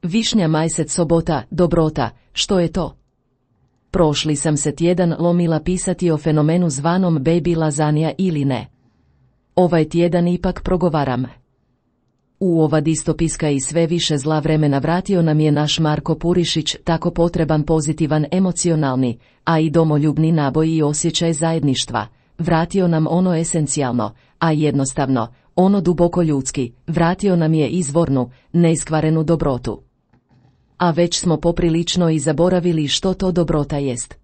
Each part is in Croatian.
Višnja majsec sobota, dobrota, što je to? Prošli sam se tjedan lomila pisati o fenomenu zvanom baby lazanja ili ne. Ovaj tjedan ipak progovaram. U ova distopijska i sve više zla vremena vratio nam je naš Marko Purišić tako potreban pozitivan emocionalni, a i domoljubni naboj i osjećaj zajedništva. Vratio nam ono esencijalno, a jednostavno, ono duboko ljudski, vratio nam je izvornu, neiskvarenu dobrotu. A već smo poprilično i zaboravili što to dobrota jest.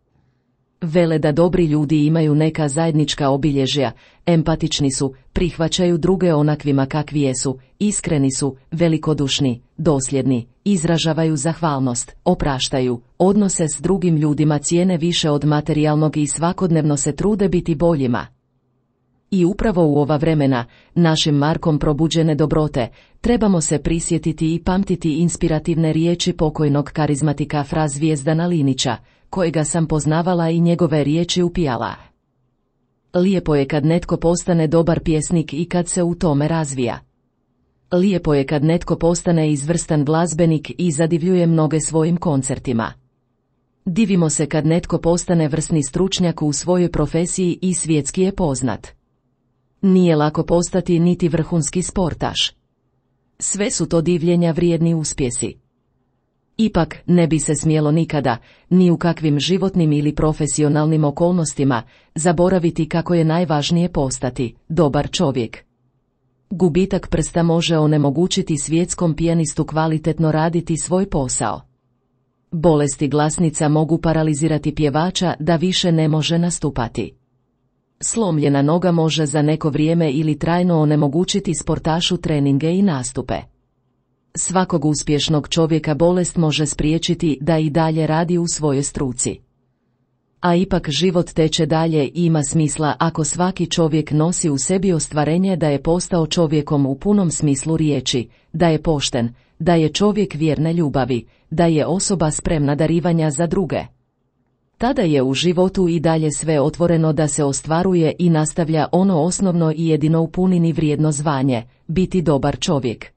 Vele da dobri ljudi imaju neka zajednička obilježja, empatični su, prihvaćaju druge onakvima kakvi jesu, iskreni su, velikodušni, dosljedni, izražavaju zahvalnost, opraštaju, odnose s drugim ljudima cijene više od materijalnog i svakodnevno se trude biti boljima. I upravo u ova vremena, našim Markom probuđene dobrote, trebamo se prisjetiti i pamtiti inspirativne riječi pokojnog karizmatika Fra Zvijezdana Linića, kojega sam poznavala i njegove riječi upijala. Lijepo je kad netko postane dobar pjesnik i kad se u tome razvija. Lijepo je kad netko postane izvrstan glazbenik i zadivljuje mnoge svojim koncertima. Divimo se kad netko postane vrsni stručnjak u svojoj profesiji i svjetski je poznat. Nije lako postati niti vrhunski sportaš. Sve su to divljenja vrijedni uspjesi. Ipak, ne bi se smjelo nikada, ni u kakvim životnim ili profesionalnim okolnostima, zaboraviti kako je najvažnije postati dobar čovjek. Gubitak prsta može onemogućiti svjetskom pijanistu kvalitetno raditi svoj posao. Bolesti glasnica mogu paralizirati pjevača da više ne može nastupati. Slomljena noga može za neko vrijeme ili trajno onemogućiti sportašu treninge i nastupe. Svakog uspješnog čovjeka bolest može spriječiti da i dalje radi u svojoj struci. A ipak život teče dalje i ima smisla ako svaki čovjek nosi u sebi ostvarenje da je postao čovjekom u punom smislu riječi, da je pošten, da je čovjek vjerne ljubavi, da je osoba spremna darivanja za druge. Tada je u životu i dalje sve otvoreno da se ostvaruje i nastavlja ono osnovno i jedino u punini vrijedno zvanje, biti dobar čovjek.